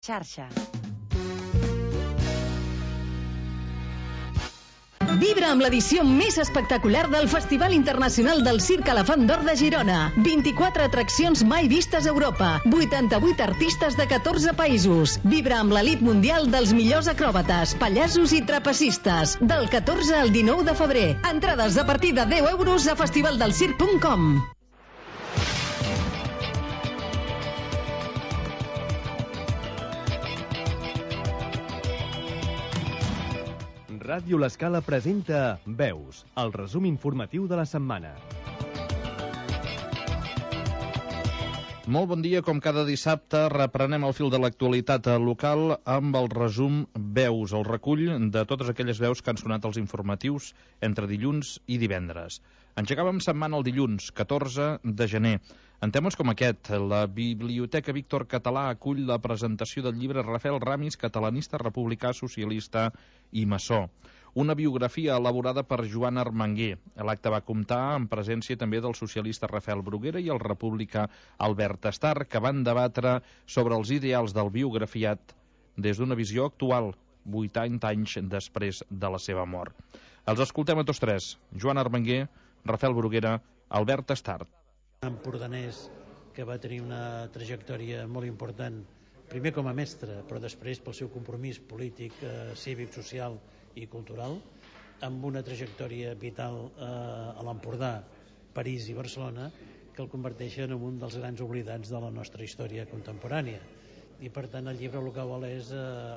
Xarxa. Vibra amb l'edició més espectacular del Festival Internacional del Circ Elefant d'Or de Girona. 24 atraccions mai vistes a Europa. 88 artistes de 14 països. Vibra amb l'elit mundial dels millors acròbates, pallassos i trapecistes. Del 14 al 19 de febrer. Entrades a partir de 10 euros a festivaldelcirc.com. Ràdio L'Escala presenta Veus, el resum informatiu de la setmana. Molt bon dia, com cada dissabte reprenem el fil de l'actualitat local amb el resum Veus, el recull de totes aquelles veus que han sonat als informatius entre dilluns i divendres. Engegàvem setmana el dilluns, 14 de gener. En temes com aquest, la Biblioteca Víctor Català acull la presentació del llibre Rafael Ramis, catalanista, republicà, socialista i maçó. Una biografia elaborada per Joan Armanguer. L'acte va comptar amb presència també del socialista Rafael Bruguera i el republicà Albert Estar, que van debatre sobre els ideals del biografiat des d'una visió actual, 80 anys després de la seva mort. Els escoltem a tots tres: Joan Armanguer, Rafael Bruguera, Albert Estar. Empordanès que va tenir una trajectòria molt important, primer com a mestre, però després pel seu compromís polític, cívic, social i cultural, amb una trajectòria vital a l'Empordà, París i Barcelona, que el converteixen en un dels grans oblidats de la nostra història contemporània. I per tant el llibre el que vol és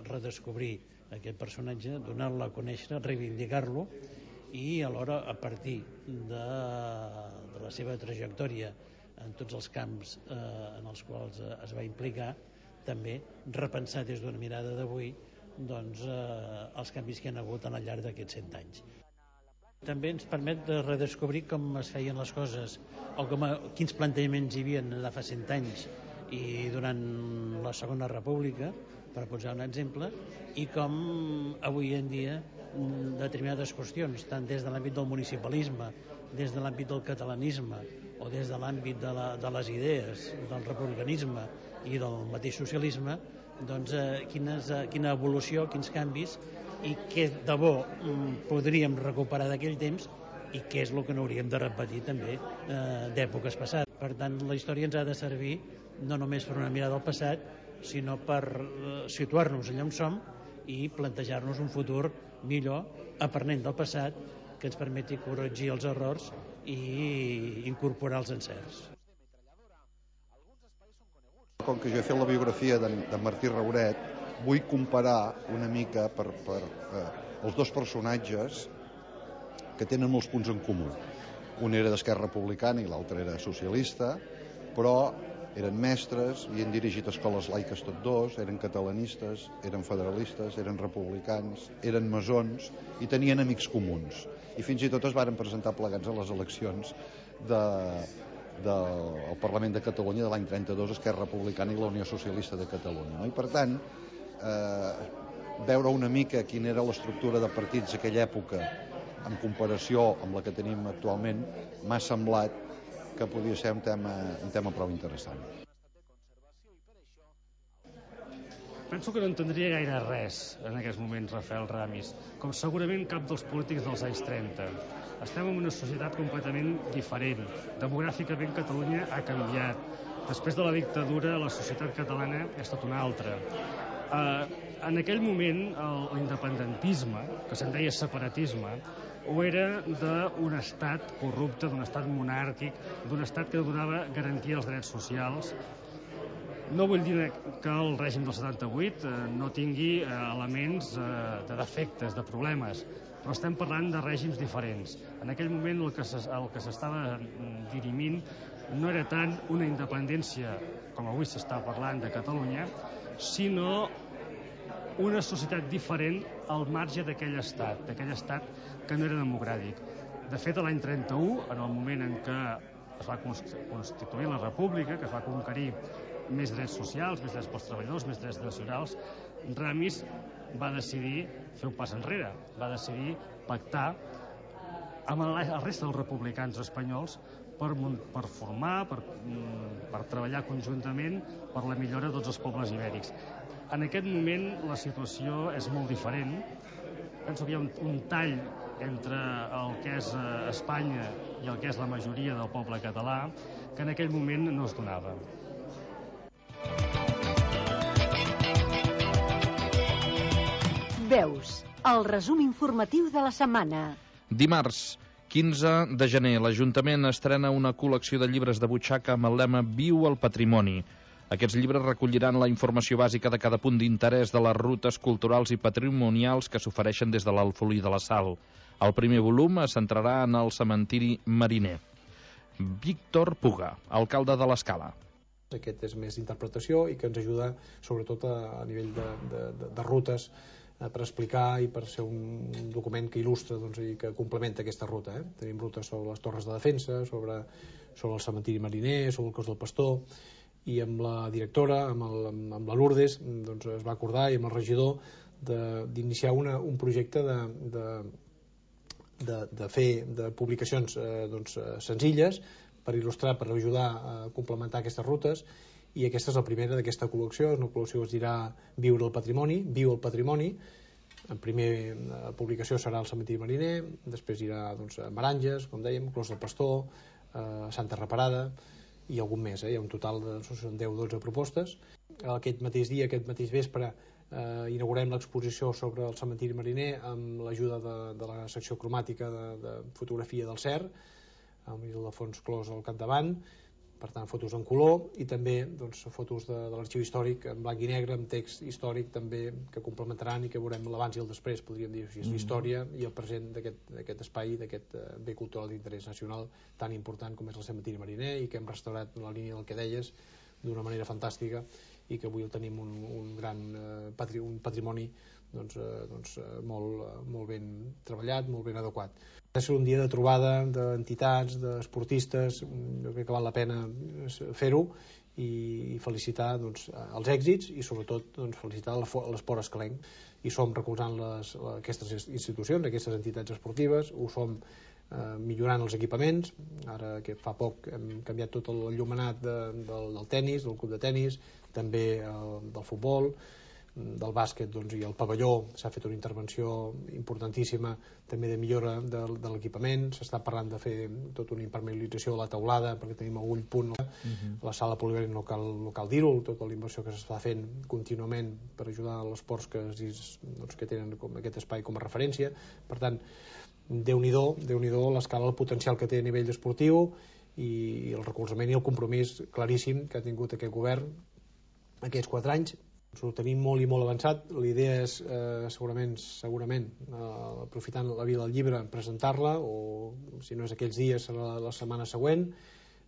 redescobrir aquest personatge, donar-lo a conèixer, reivindicar-lo, i alhora, a partir de la seva trajectòria en tots els camps en els quals es va implicar, també repensar des d'una mirada d'avui els canvis que hi ha hagut al llarg d'aquests 100 anys. També ens permet de redescobrir com es feien les coses o quins plantejaments hi havia de fa 100 anys i durant la Segona República, per posar un exemple, i com avui en dia determinades qüestions, tant des de l'àmbit del municipalisme, des de l'àmbit del catalanisme o des de l'àmbit de les idees, del republicanisme i del mateix socialisme, quina evolució, quins canvis i què de bo podríem recuperar d'aquell temps i què és el que no hauríem de repetir també d'èpoques passades. Per tant, la història ens ha de servir no només per una mirada al passat, sinó per situar-nos allà on som i plantejar-nos un futur millor, aprenent del passat, que ens permeti corregir els errors i incorporar els encerts. Com que jo he fet la biografia de Martí Rauret, vull comparar una mica per els dos personatges que tenen molts punts en comú. Un era d'Esquerra Republicana i l'altre era socialista, però eren mestres, havien dirigit escoles laiques tots dos, eren catalanistes, eren federalistes, eren republicans, eren maçons i tenien amics comuns. I fins i tot es varen presentar plegats a les eleccions del Parlament de Catalunya de l'any 32, Esquerra Republicana i la Unió Socialista de Catalunya. I per tant, veure una mica quina era l'estructura de partits d'aquella època en comparació amb la que tenim actualment, m'ha semblat que podia ser un tema prou interessant. Penso que no entendria gaire res en aquests moments Rafael Ramis, com segurament cap dels polítics dels anys 30. Estem en una societat completament diferent. Demogràficament Catalunya ha canviat. Després de la dictadura la societat catalana ha estat una altra. En aquell moment l'independentisme, que se'n deia separatisme, o era d'un estat corrupte, d'un estat monàrquic, d'un estat que donava garantia als drets socials. No vull dir que el règim del 78 no tingui elements de defectes, de problemes, però estem parlant de règims diferents. En aquell moment el que s'estava dirimint no era tant una independència, com avui s'està parlant de Catalunya, sinó una societat diferent al marge d'aquell estat que no era democràtic. De fet, l'any 31, en el moment en què es va constituir la República, que es va conquerir més drets socials, més drets pels treballadors, més drets nacionals, Ramis va decidir fer un pas enrere, va decidir pactar amb el resta dels republicans espanyols per formar, per treballar conjuntament per la millora de tots els pobles ibèrics. En aquest moment la situació és molt diferent. Penso que hi ha un tall entre el que és Espanya i el que és la majoria del poble català, que en aquell moment no es donava. Veus, el resum informatiu de la setmana. Dimarts, 15 de gener, l'Ajuntament estrena una col·lecció de llibres de butxaca amb el lema Viu el patrimoni. Aquests llibres recolliran la informació bàsica de cada punt d'interès de les rutes culturals i patrimonials que s'ofereixen des de l'Alfolí de la Sal. El primer volum es centrarà en el cementiri mariner. Víctor Puga, alcalde de l'Escala. Aquest és més d'interpretació i que ens ajuda sobretot a nivell de rutes per explicar i per ser un document que il·lustra i que complementa aquesta ruta. Tenim rutes sobre les torres de defensa, sobre el cementiri mariner, sobre el cos del Pastor, i amb la directora, amb la Lourdes, es va acordar, i amb el regidor, d'iniciar un projecte de fer publicacions senzilles per il·lustrar, per ajudar a complementar aquestes rutes, i aquesta és la primera d'aquesta col·lecció. És una col·lecció que es dirà Viure el patrimoni, Viu el patrimoni. En primera publicació serà el cementiri mariner, després irà a Meranges, com dèiem, Clos del Pastor, Santa Reparada, i algun més, hi ha un total de 10-12 propostes. Aquest mateix dia, aquest mateix vespre, inaugurem l'exposició sobre el cementiri mariner amb l'ajuda de la secció cromàtica de fotografia del CER, amb l'Ildefons Clos al capdavant, per tant fotos en color, i també fotos de l'arxiu històric en blanc i negre, amb text històric també, que complementaran i que veurem l'abans i el després, podríem dir així, la història i el present d'aquest espai, d'aquest bé cultural d'interès nacional tan important com és el cementiri mariner, i que hem restaurat la línia del que deies d'una manera fantàstica, i que avui el tenim un gran patrimoni molt ben treballat, molt ben adequat. Ha de ser un dia de trobada d'entitats, d'esportistes. Jo crec que val la pena fer-ho i felicitar els èxits i sobretot felicitar l'esport escalenc. I som recolzant aquestes institucions, aquestes entitats esportives, ho som millorant els equipaments. Ara que fa poc hem canviat tot el llumenat del tennis, del club de tennis, també del futbol, del bàsquet, i el pavelló s'ha fet una intervenció importantíssima també de millora de l'equipament. S'està parlant de fer tota una impermeabilització de la teulada perquè tenim algun punt. La sala polivalent no cal dir-ho, tota la inversió que s'està fent contínuament per ajudar als esports que tenen aquest espai com a referència. Per tant, Déu-n'hi-do l'escala, el potencial que té a nivell esportiu i el recolzament i el compromís claríssim que ha tingut aquest govern aquests 4 anys. Ho tenim molt i molt avançat. La idea és segurament aprofitant la Vila del Llibre, presentar-la, o si no és aquells dies serà la setmana següent,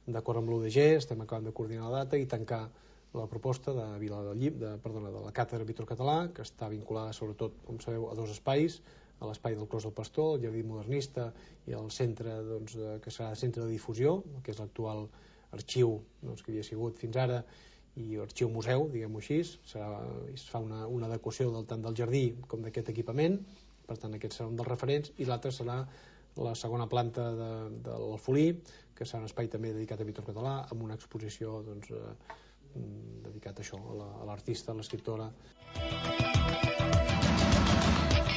d'acord amb l'UDG. Estem acabant de coordinar la data i tancar la proposta de la Càtedra Víctor Català, que està vinculada sobretot, com sabeu, a 2 espais, a l'espai del Clos del Pastor, el Jardí Modernista, i el centre que serà centre de difusió, que és l'actual arxiu que havia sigut fins ara, i arxiu museu, diguem-ho així. Es fa una adequació tant del jardí com d'aquest equipament, per tant aquest serà un dels referents, i l'altre serà la segona planta de l'Alfolí, que serà un espai també dedicat a Víctor Català, amb una exposició dedicat a això, a l'artista, a l'escriptora.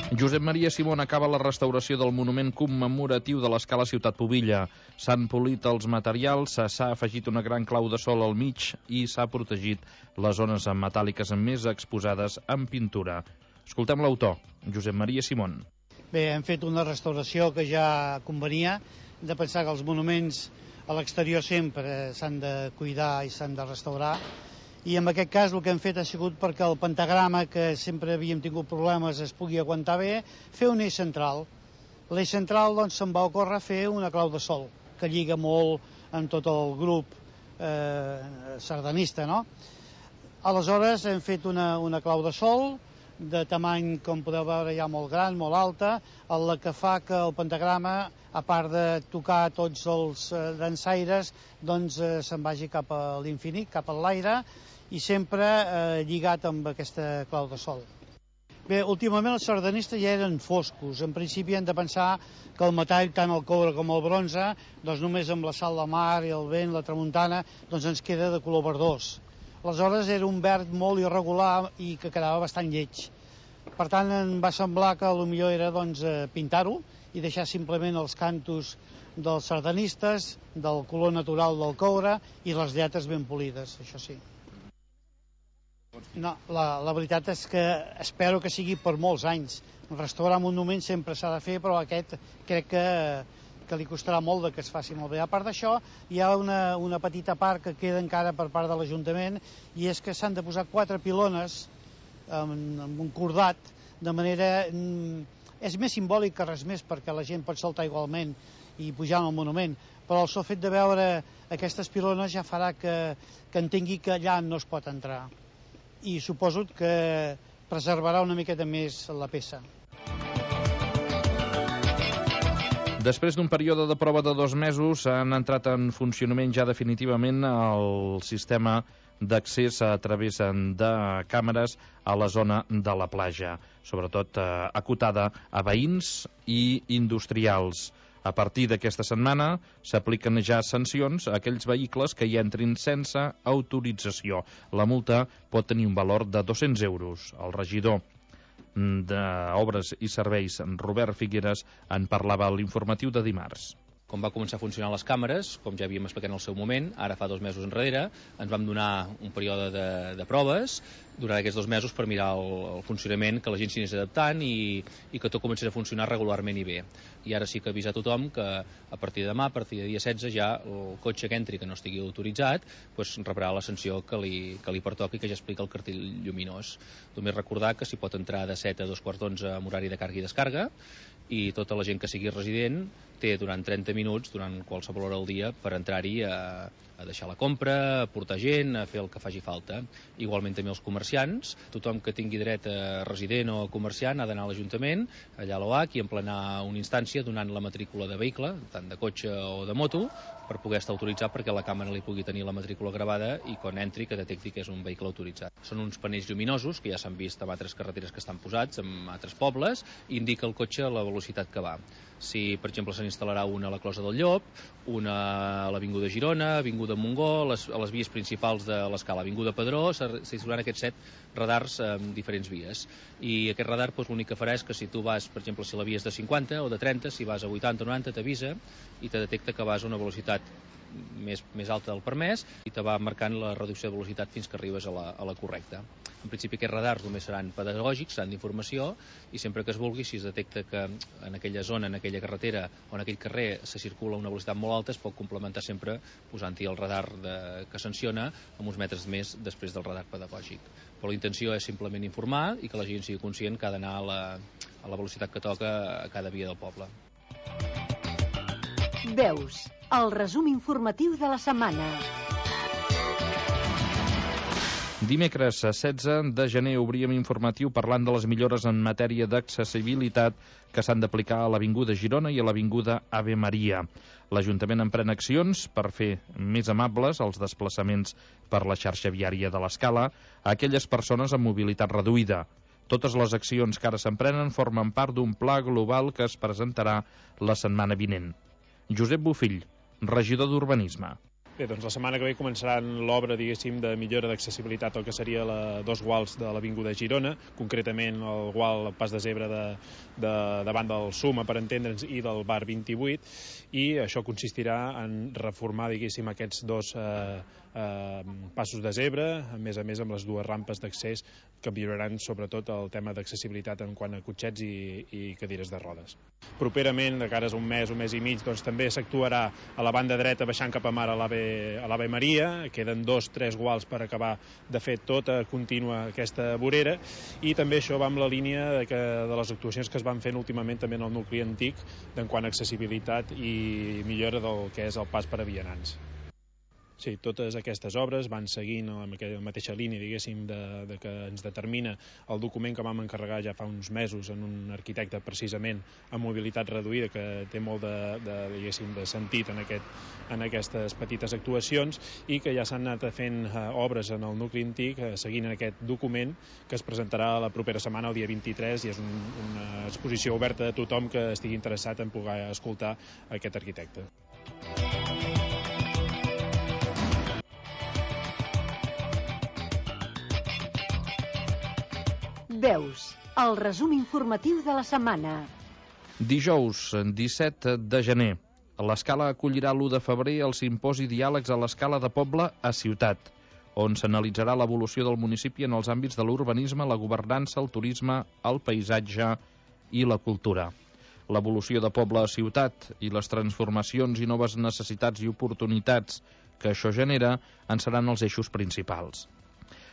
Josep Maria Simón acaba la restauració del monument commemoratiu de l'Escala Ciutat Pubilla. S'han polit els materials, s'ha afegit una gran clau de sol al mig i s'ha protegit les zones metàl·liques més exposades en pintura. Escoltem l'autor, Josep Maria Simón. Bé, hem fet una restauració que ja convenia, de pensar que els monuments a l'exterior sempre s'han de cuidar i s'han de restaurar, i en aquest cas el que hem fet ha sigut perquè el pentagrama, que sempre havíem tingut problemes, es pugui aguantar bé, fer un eix central. L'eix central se'n va ocórrer fer una clau de sol, que lliga molt amb tot el grup sardanista, no? Aleshores hem fet una clau de sol de tamany, com podeu veure, ja molt gran, molt alta, la que fa que el pentagrama, a part de tocar tots els dansaires, se'n vagi cap a l'infinit, cap a l'aire, i sempre lligat amb aquesta clau de sol. Bé, últimament els sardanistes ja eren foscos. En principi hem de pensar que el metall, tant el coure com el bronze, només amb la sal de mar i el vent, la tramuntana, ens queda de color verdós. Aleshores era un verd molt irregular i que quedava bastant lleig. Per tant, em va semblar que potser era pintar-ho i deixar simplement els cantos dels sardanistes, del color natural del coure i les lletres ben polides, això sí. No, la veritat és que espero que sigui per molts anys. Restaurar monuments sempre s'ha de fer, però aquest crec que li costarà molt que es faci molt bé. A part d'això, hi ha una petita part que queda encara per part de l'Ajuntament, i és que s'han de posar 4 pilones amb un cordat, de manera... És més simbòlic que res més, perquè la gent pot saltar igualment i pujar al monument, però el sol fet de veure aquestes pilones ja farà que entengui que allà no es pot entrar. I suposo que preservarà una miqueta més la peça. Després d'un període de prova de 2 mesos, han entrat en funcionament ja definitivament el sistema d'accés a través de càmeres a la zona de la platja, sobretot acotada a veïns i industrials. A partir d'aquesta setmana s'apliquen ja sancions a aquells vehicles que hi entrin sense autorització. La multa pot tenir un valor de 200 euros. El regidor d'Obres i Serveis, Robert Figueres, en parlava a l'informatiu de dimarts. Com va començar a funcionar les càmeres, com ja havíem explicat en el seu moment, ara fa 2 mesos enrere, ens vam donar un període de proves durant aquests 2 mesos per mirar el funcionament, que la gent s'hi anés adaptant i que tot comencés a funcionar regularment i bé. I ara sí que avisar tothom que a partir de demà, a partir de dia 16, ja el cotxe que entri que no estigui autoritzat rebrà la sanció que li pertoqui, que ja explica el cartell lluminós. Només recordar que s'hi pot entrar de 7 a 2:15 amb horari de càrrega i descàrrega, i tota la gent que sigui resident té durant 30 minuts, durant qualsevol hora del dia, per entrar-hi a deixar la compra, a portar gent, a fer el que faci falta. Igualment també els comerciants. Tothom que tingui dret a resident o a comerciant ha d'anar a l'Ajuntament, allà a l'OAC, i emplenar una instància donant la matrícula de vehicle, tant de cotxe o de moto, per poder estar autoritzat perquè la càmera li pugui tenir la matrícula gravada i quan entri que detecti que és un vehicle autoritzat. Són uns panells lluminosos que ja s'han vist en altres carreteres que estan posats, en altres pobles, i indica el cotxe la velocitat que va. Si, per exemple, se n'instal·larà una a la Closa del Llop, una a l'Avinguda Girona, Avinguda Montgó, a les vies principals de l'escala, Avinguda Pedró, s'installaran aquests 7 radars en diferents vies. I aquest radar l'únic que farà és que si tu vas, per exemple, si la via és de 50 o de 30, si vas a 80 o 90, t'avisa i te detecta que vas a una velocitat més alta del permès i te va marcant la reducció de velocitat fins que arribes a la correcta. En principi aquests radars només seran pedagògics, seran d'informació, i sempre que es vulgui, si es detecta que en aquella zona, en aquella carretera o en aquell carrer se circula a una velocitat molt alta, es pot complementar sempre posant-hi el radar que sanciona amb uns metres més després del radar pedagògic. Però la intenció és simplement informar i que la gent sigui conscient que ha d'anar a la velocitat que toca a cada via del poble. Veus, el resum informatiu de la setmana. Dimecres 16 de gener obríem informatiu parlant de les millores en matèria d'accessibilitat que s'han d'aplicar a l'Avinguda Girona i a l'Avinguda Ave Maria. L'Ajuntament emprèn accions per fer més amables els desplaçaments per la xarxa viària de l'Escala a aquelles persones amb mobilitat reduïda. Totes les accions que ara s'emprenen formen part d'un pla global que es presentarà la setmana vinent. Josep Bofill, regidor d'Urbanisme. Bé, doncs la setmana que ve començaran l'obra, diguéssim, de millora d'accessibilitat al que seria dos guals de l'Avinguda Girona, concretament el gual Pas de Zebra davant del Suma, per entendre'ns, i del bar 28, i això consistirà en reformar, diguéssim, aquests dos passos de zebra, a més amb les dues rampes d'accés que milloraran sobretot el tema d'accessibilitat en quant a cotxets i cadires de rodes. Properament, de cares a un mes i mig, doncs també s'actuarà a la banda dreta baixant cap a mar a l'Ave Maria. Queden 2-3 guals per acabar de fer tota contínua aquesta vorera, i també això va amb la línia de les actuacions que es van fent últimament també en el nucli antic en quant a accessibilitat i millora del que és el pas per a vianants. Sí, totes aquestes obres van seguint la mateixa línia, diguéssim, que ens determina el document que vam encarregar ja fa uns mesos en un arquitecte precisament amb mobilitat reduïda, que té molt de sentit en aquestes petites actuacions, i que ja s'han anat fent obres en el nucli antic seguint aquest document que es presentarà la propera setmana, el dia 23, i és una exposició oberta a tothom que estigui interessat en poder escoltar aquest arquitecte. Veus, el resum informatiu de la setmana. Dijous, 17 de gener, l'Escala acollirà l'1 de febrer el simposi Diàlegs a l'Escala de Poble a Ciutat, on s'analitzarà l'evolució del municipi en els àmbits de l'urbanisme, la governança, el turisme, el paisatge i la cultura. L'evolució de poble a ciutat i les transformacions i noves necessitats i oportunitats que això genera en seran els eixos principals.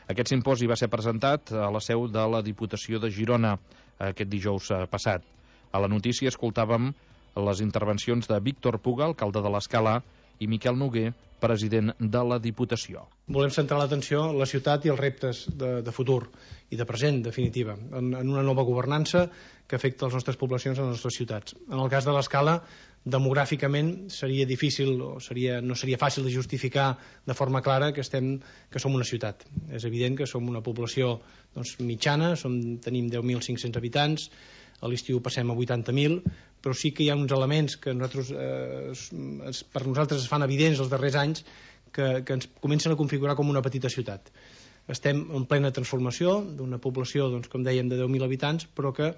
Aquest simposi va ser presentat a la seu de la Diputació de Girona aquest dijous passat. A la notícia escoltàvem les intervencions de Víctor Puga, alcalde de l'Escala, i Miquel Noguer, president de la Diputació. Volem centrar l'atenció en la ciutat i els reptes de futur i de present, definitiva, en una nova governança que afecta les nostres poblacions a les nostres ciutats. En el cas de l'Escala, demogràficament seria difícil o no seria fàcil de justificar de forma clara que som una ciutat. És evident que som una població mitjana, tenim 10.500 habitants, a l'estiu passem a 80.000, però sí que hi ha uns elements que per nosaltres es fan evidents els darrers anys que ens comencen a configurar com una petita ciutat. Estem en plena transformació d'una població, com dèiem, de 10.000 habitants, però que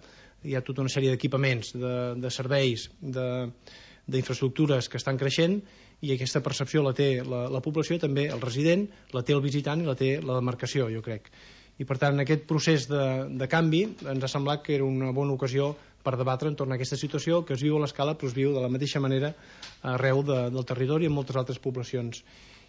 hi ha tota una sèrie d'equipaments, de serveis, d'infraestructures que estan creixent, i aquesta percepció la té la població, també el resident, la té el visitant i la té la demarcació, jo crec. I per tant, en aquest procés de canvi ens ha semblat que era una bona ocasió per debatre entorn a aquesta situació que es viu a l'Escala, però es viu de la mateixa manera arreu del territori i en moltes altres poblacions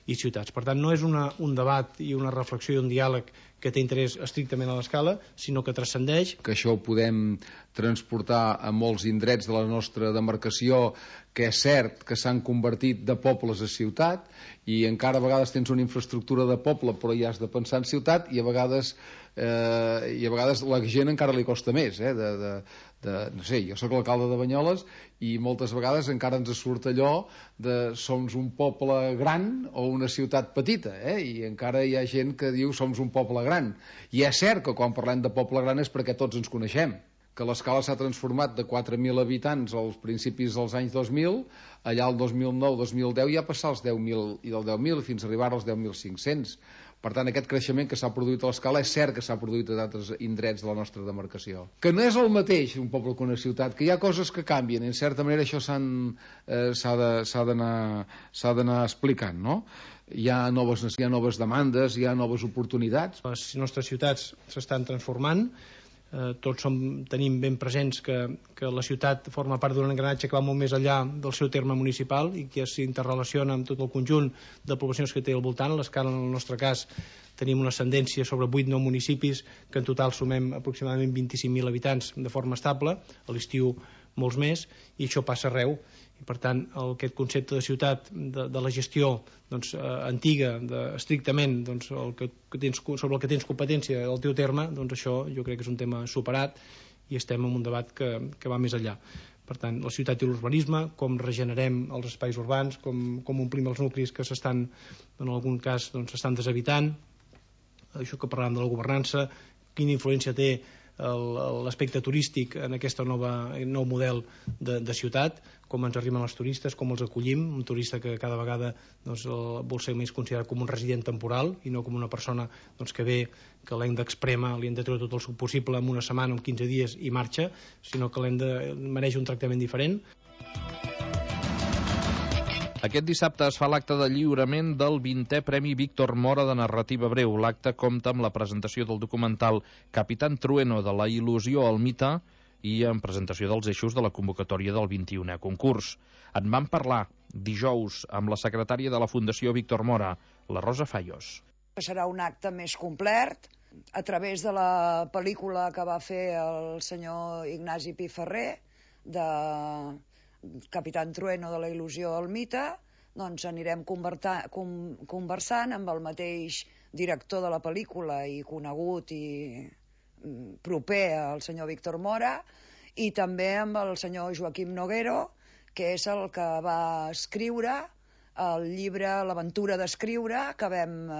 i ciutats. Per tant, no és un debat i una reflexió i un diàleg que té interès estrictament a l'Escala, sinó que transcendeix. Que això ho podem transportar a molts indrets de la nostra demarcació, que és cert que s'han convertit de pobles a ciutat, i encara a vegades tens una infraestructura de poble però ja has de pensar en ciutat, i a vegades la gent encara li costa més, no sé, jo sóc l'alcalde de Banyoles i moltes vegades encara ens surt allò de som un poble gran o una ciutat petita, i encara hi ha gent que diu som un poble gran, i és cert que quan parlem de poble gran és perquè tots ens coneixem, que l'Escala s'ha transformat de 4.000 habitants als principis dels anys 2000, allà el 2009-2010 ja passar als 10.000 i del 10.000 fins a arribar als 10.500. Per tant, aquest creixement que s'ha produït a l'Escala és cert que s'ha produït a d'altres indrets de la nostra demarcació. Que no és el mateix un poble que una ciutat, que hi ha coses que canvien, i en certa manera això s'ha d'anar explicant, no? Hi ha noves demandes, hi ha noves oportunitats. Les nostres ciutats s'estan transformant, tots tenim ben presents que la ciutat forma part d'un engranatge que va molt més enllà del seu terme municipal i que s'interrelaciona amb tot el conjunt de poblacions que té al voltant. A l'Escala, en el nostre cas, tenim una ascendència sobre 8-9 municipis que en total sumem aproximadament 25.000 habitants de forma estable, a l'estiu molts més, i això passa arreu. I per tant, aquest concepte de ciutat, de la gestió antiga, estrictament sobre el que tens competència del teu terme, això jo crec que és un tema superat i estem en un debat que va més enllà. Per tant, la ciutat i l'urbanisme, com regenerem els espais urbans, com omplim els nuclis que s'estan, en algun cas, s'estan deshabitant, això que parlàvem de la governança, quina influència té l'aspecte turístic en aquest nou model de ciutat, com ens arriben els turistes, com els acollim, un turista que cada vegada vol ser més considerat com un resident temporal i no com una persona que ve, que l'hem d'exprema, li hem de treure tot el suc possible en una setmana, en 15 dies i marxa, sinó que mereix un tractament diferent. Aquest dissabte es fa l'acte de lliurament del 20è Premi Víctor Mora de narrativa breu. L'acte compta amb la presentació del documental Capitán Trueno, de la il·lusió al mite, i en presentació dels eixos de la convocatòria del 21è concurs. En vam parlar dijous amb la secretària de la Fundació Víctor Mora, la Rosa Fallos. Serà un acte més complet a través de la pel·lícula que va fer el senyor Ignasi Piferrer de Capitán Trueno, de la il·lusió al mite. Doncs anirem conversant amb el mateix director de la pel·lícula i conegut i proper al senyor Víctor Mora, i també amb el senyor Joaquim Noguero, que és el que va escriure el llibre L'aventura d'escriure, que vam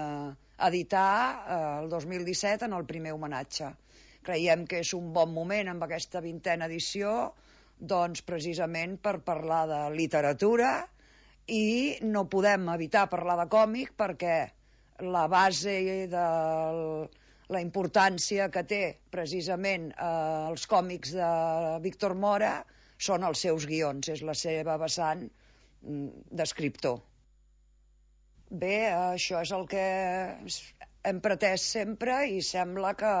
editar el 2017 en el primer homenatge. Creiem que és un bon moment amb aquesta 20a edició, doncs precisament per parlar de literatura, i no podem evitar parlar de còmic perquè la base del la importància que té precisament els còmics de Víctor Mora són els seus guions, és la seva vessant d'escriptor. Bé, això és el que hem pretès sempre i sembla que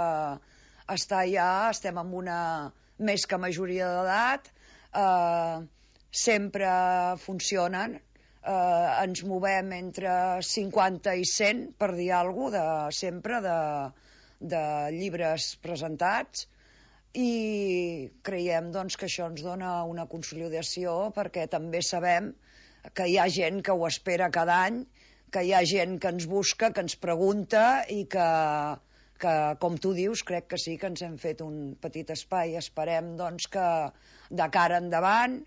estem en una més que majoria d'edat, sempre funcionen, ens movem entre 50 i 100, per dir alguna cosa, sempre de llibres presentats, i creiem doncs, que això ens dona una consolidació, perquè també sabem que hi ha gent que ho espera cada any, que hi ha gent que ens busca, que ens pregunta i que com tu dius, crec que sí que ens hem fet un petit espai. Esperem doncs, que de cara endavant,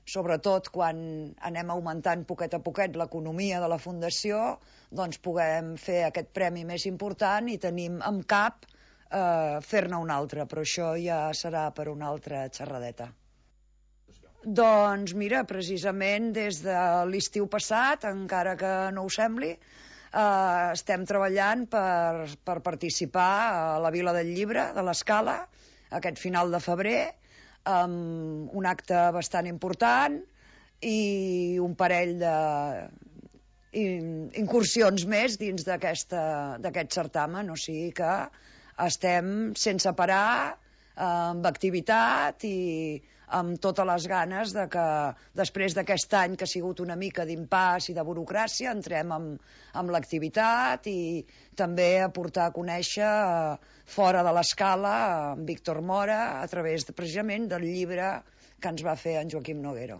sobretot quan anem augmentant poquet a poquet l'economia de la Fundació, doncs puguem fer aquest premi més important i tenim en cap fer-ne un altre, però això ja serà per una altra xerradeta. Doncs mira, precisament des de l'estiu passat, encara que no ho sembli, estem treballant per participar a la Vila del Llibre de l'Escala aquest final de febrer, amb un acte bastant important i un parell d'incursions més dins d'aquest certamen, o sigui que estem sense parar, amb activitat i amb totes les ganes de que després d'aquest any que ha sigut una mica d'impàs i de burocràcia entrem amb l'activitat i també a portar a conèixer fora de l'Escala en Víctor Mora a través precisament del llibre que ens va fer en Joaquim Noguero.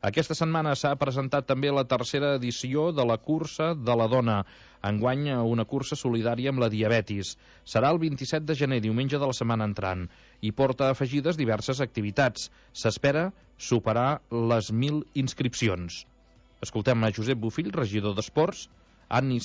Aquesta setmana s'ha presentat també la tercera edició de la Cursa de la Dona. Enguany, una cursa solidària amb la diabetis. Serà el 27 de gener, diumenge de la setmana entrant, i porta afegides diverses activitats. S'espera superar les 1.000 inscripcions. Escoltem a Josep Bofill, regidor d'Esports, Anni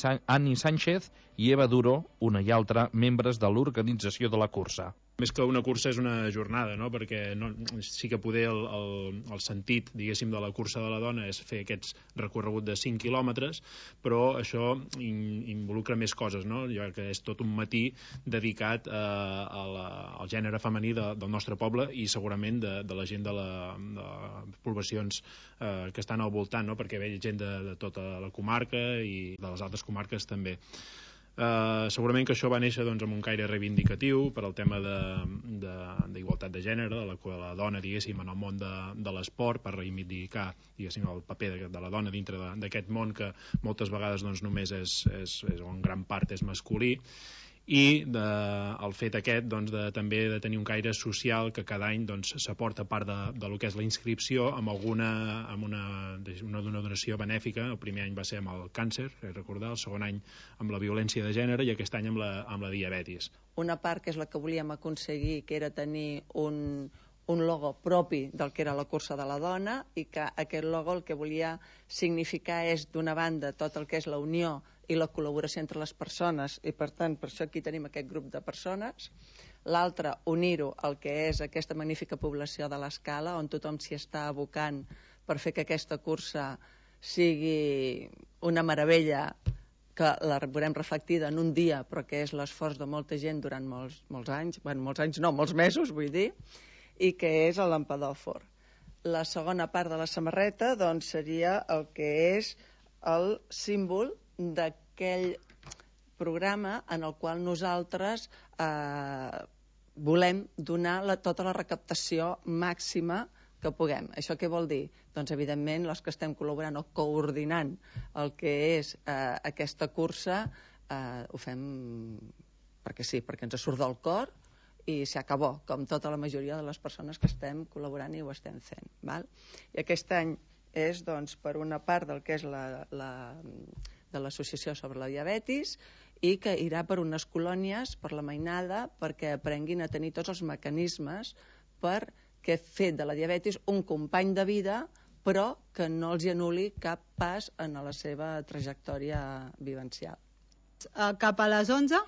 Sánchez i Eva Duro, una i altra membres de l'organització de la cursa. Més que una cursa és una jornada, no? Perquè sí que poder el sentit, diguéssim, de la cursa de la dona és fer aquests recorregut de 5 quilòmetres, però això involucra més coses, no? Ja que és tot un matí dedicat al gènere femení del nostre poble i segurament de la gent de les poblacions que estan al voltant, no? Perquè ve gent de tota la comarca i de les altres comarques també. Segurament que això va néixer doncs, amb un caire reivindicatiu per al tema d'igualtat de gènere, de la dona, diguéssim, en el món de l'esport, per reivindicar, diguéssim, el paper de la dona dintre d'aquest món que moltes vegades doncs, només en gran part és masculí, i el fet aquest doncs, també de tenir un caire social que cada any s'aporta part de lo que és la inscripció amb una donació benèfica. El primer any va ser amb el càncer, recordar, el segon any amb la violència de gènere i aquest any amb la diabetis. Una part que és la que volíem aconseguir, que era tenir un logo propi del que era la cursa de la dona, i que aquest logo el que volia significar és, d'una banda, tot el que és la unió i la col·laboració entre les persones, i per tant per això aquí tenim aquest grup de persones. L'altre, unir-ho al que és aquesta magnífica població de l'Escala, on tothom s'hi està abocant per fer que aquesta cursa sigui una meravella que la veurem reflectida en un dia, però que és l'esforç de molta gent durant molts anys, molts mesos, vull dir, i que és l'Empedòfor. La segona part de la samarreta doncs, seria el que és el símbol d'aquell programa en el qual nosaltres volem donar tota la recaptació màxima que puguem. Això què vol dir? Doncs, evidentment, els que estem col·laborant o coordinant el que és aquesta cursa ho fem perquè sí, perquè ens surt del cor i s'acabó, com tota la majoria de les persones que estem col·laborant i ho estem fent. Val? I aquest any és, doncs, per una part del que és de l'associació sobre la diabetis i que irà per unes colònies, per la mainada, perquè aprenguin a tenir tots els mecanismes perquè fer de la diabetis un company de vida, però que no els anul·li cap pas en la seva trajectòria vivencial. Cap a les 11,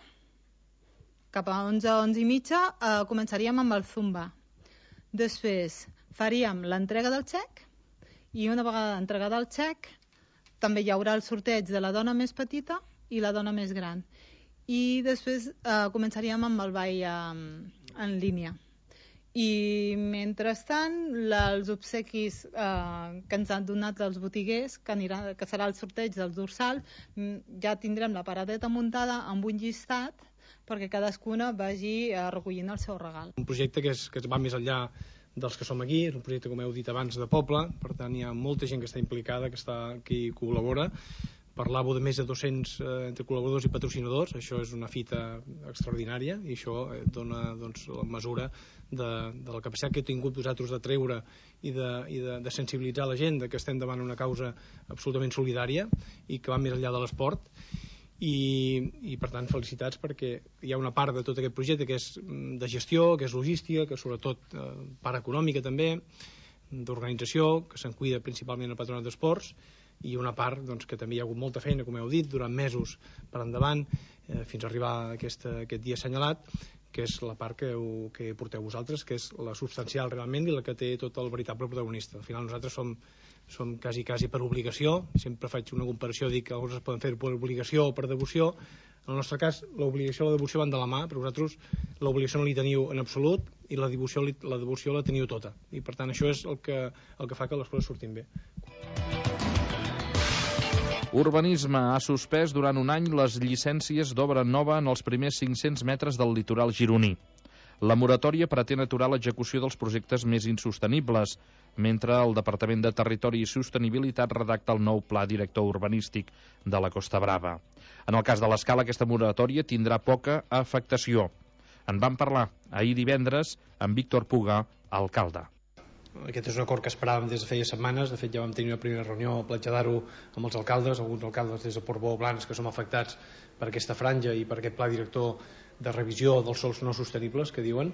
cap a 11 i mitja, començaríem amb el Zumba. Després faríem l'entrega del xec i una vegada entregada el xec també hi haurà el sorteig de la dona més petita i la dona més gran. i després començaríem amb el ball en línia. I mentrestant els obsequis que ens han donat els botiguers, que serà el sorteig dels dorsals, ja tindrem la paradeta muntada amb un llistat perquè cadascuna vagi recollint el seu regal. Un projecte que va més enllà dels que som aquí, és un projecte, com heu dit abans, de poble, per tant hi ha molta gent que està implicada, que hi col·labora. Parlàveu de més de 200 entre col·laboradors i patrocinadors, això és una fita extraordinària i això dona la mesura de la capacitat que heu tingut vosaltres de treure i de sensibilitzar la gent que estem davant una causa absolutament solidària i que va més enllà de l'esport. I per tant felicitats, perquè hi ha una part de tot aquest projecte que és de gestió, que és logística, que sobretot part econòmica també, d'organització, que se'n cuida principalment el Patronat d'Esports, i una part que també hi ha hagut molta feina, com heu dit, durant mesos per endavant, fins a arribar a aquest dia assenyalat, que és la part que porteu vosaltres, que és la substancial realment i la que té tot el veritable protagonista. Al final nosaltres som quasi per obligació, sempre faig una comparació, dic que alguns es poden fer per obligació o per devoció. En el nostre cas l'obligació i la devoció van de la mà, però vosaltres l'obligació no li teniu en absolut i la devoció la teniu tota, i per tant això és el que fa que les coses surtin bé. Urbanisme ha suspès durant un any les llicències d'obra nova en els primers 500 metres del litoral gironí. La moratòria pretén aturar l'execució dels projectes més insostenibles, mentre el Departament de Territori i Sostenibilitat redacta el nou pla director urbanístic de la Costa Brava. En el cas de l'Escala, aquesta moratòria tindrà poca afectació. En vam parlar ahir divendres amb Víctor Puga, alcalde. Aquest és un acord que esperàvem des de feia setmanes. De fet, ja vam tenir una primera reunió a Platja-d'Aro amb els alcaldes, alguns alcaldes des de Portbou o Blanes que som afectats per aquesta franja i per aquest pla director de revisió dels sòls no sostenibles, que diuen,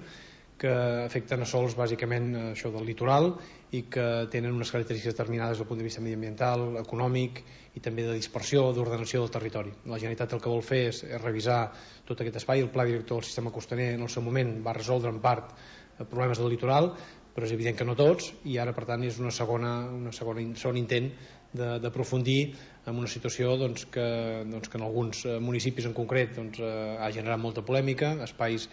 que afecten a sòls bàsicament això del litoral i que tenen unes característiques determinades des del punt de vista mediambiental, econòmic i també de dispersió, d'ordenació del territori. La Generalitat el que vol fer és revisar tot aquest espai. El pla director del sistema costaner en el seu moment va resoldre en part problemes del litoral, però és evident que no tots, i ara per tant és un segon intent d'aprofundir en una situació que en alguns municipis en concret ha generat molta polèmica, espais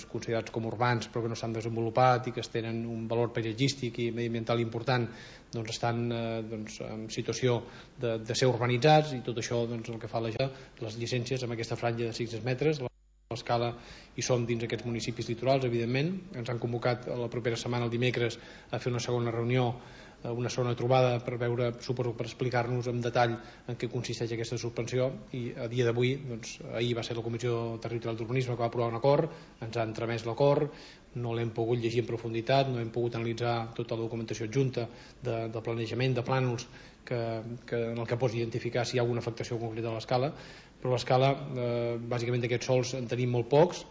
considerats com urbans però que no s'han desenvolupat i que tenen un valor paisatgístic i mediambiental important, estan en situació de ser urbanitzats, i tot això el que fa les llicències amb aquesta franja de 600 metres. L'Escala hi som dins aquests municipis litorals, evidentment. Ens han convocat la propera setmana, el dimecres, a fer una segona reunió, una segona trobada per veure, suposo, per explicar-nos en detall en què consisteix aquesta suspensió, i a dia d'avui, ahir va ser la Comissió Territorial d'Urbanisme que va aprovar un acord, ens ha entremès l'acord, no l'hem pogut llegir en profunditat, no hem pogut analitzar tota la documentació adjunta de planejament, de plànols, en el que pots identificar si hi ha alguna afectació concreta a l'Escala, però a l'Escala bàsicament d'aquests sols en tenim molt pocs,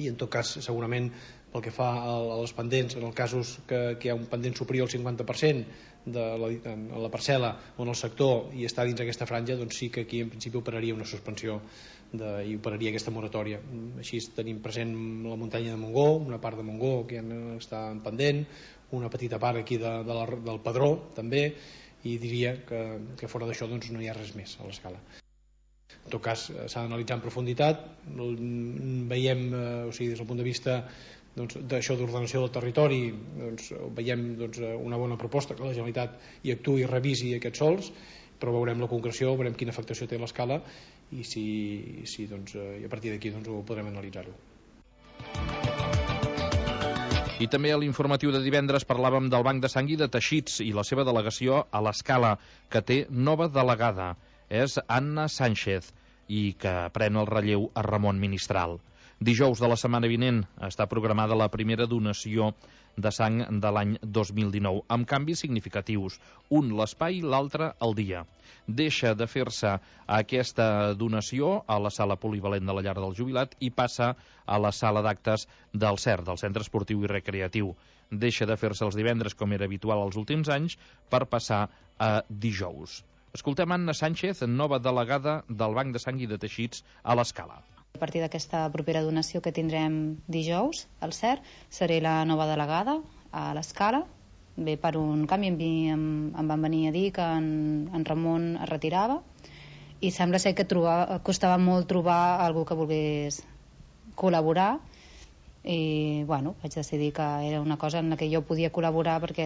i en tot cas segurament pel que fa a les pendents, en els casos que hi ha un pendent superior al 50% de la parcel·la o en el sector i està dins aquesta franja, doncs sí que aquí en principi operaria una suspensió i operaria aquesta moratòria. Així tenim present la muntanya de Montgó, una part de Montgó que ja està en pendent, una petita part aquí del Pedró també, i diria que fora d'això no hi ha res més a l'Escala. En tot cas s'ha d'analitzar en profunditat, veiem, des del punt de vista d'això d'ordenació del territori, veiem una bona proposta que la Generalitat hi actuï i revisi aquests sòls, però veurem la concreció, veurem quina afectació té l'Escala i a partir d'aquí ho podrem analitzar-ho. I també a l'informatiu de divendres parlàvem del Banc de Sang i de Teixits i la seva delegació a l'Escala, que té nova delegada. És Anna Sánchez, i que pren el relleu a Ramon Ministral. Dijous de la setmana vinent està programada la primera donació de sang de l'any 2019, amb canvis significatius, un l'espai, l'altre el dia. Deixa de fer-se aquesta donació a la sala polivalent de la Llar del Jubilat i passa a la sala d'actes del CER, del Centre Esportiu i Recreatiu. Deixa de fer-se els divendres, com era habitual els últims anys, per passar a dijous. Escoltem Anna Sánchez, nova delegada del Banc de Sang i de Teixits a l'Escala. A partir d'aquesta propera donació que tindrem dijous al CER, seré la nova delegada a l'Escala. Bé, per un canvi em van venir a dir que en Ramon es retirava i sembla ser que costava molt trobar algú que volgués col·laborar, i bueno, vaig decidir que era una cosa en la que jo podia col·laborar perquè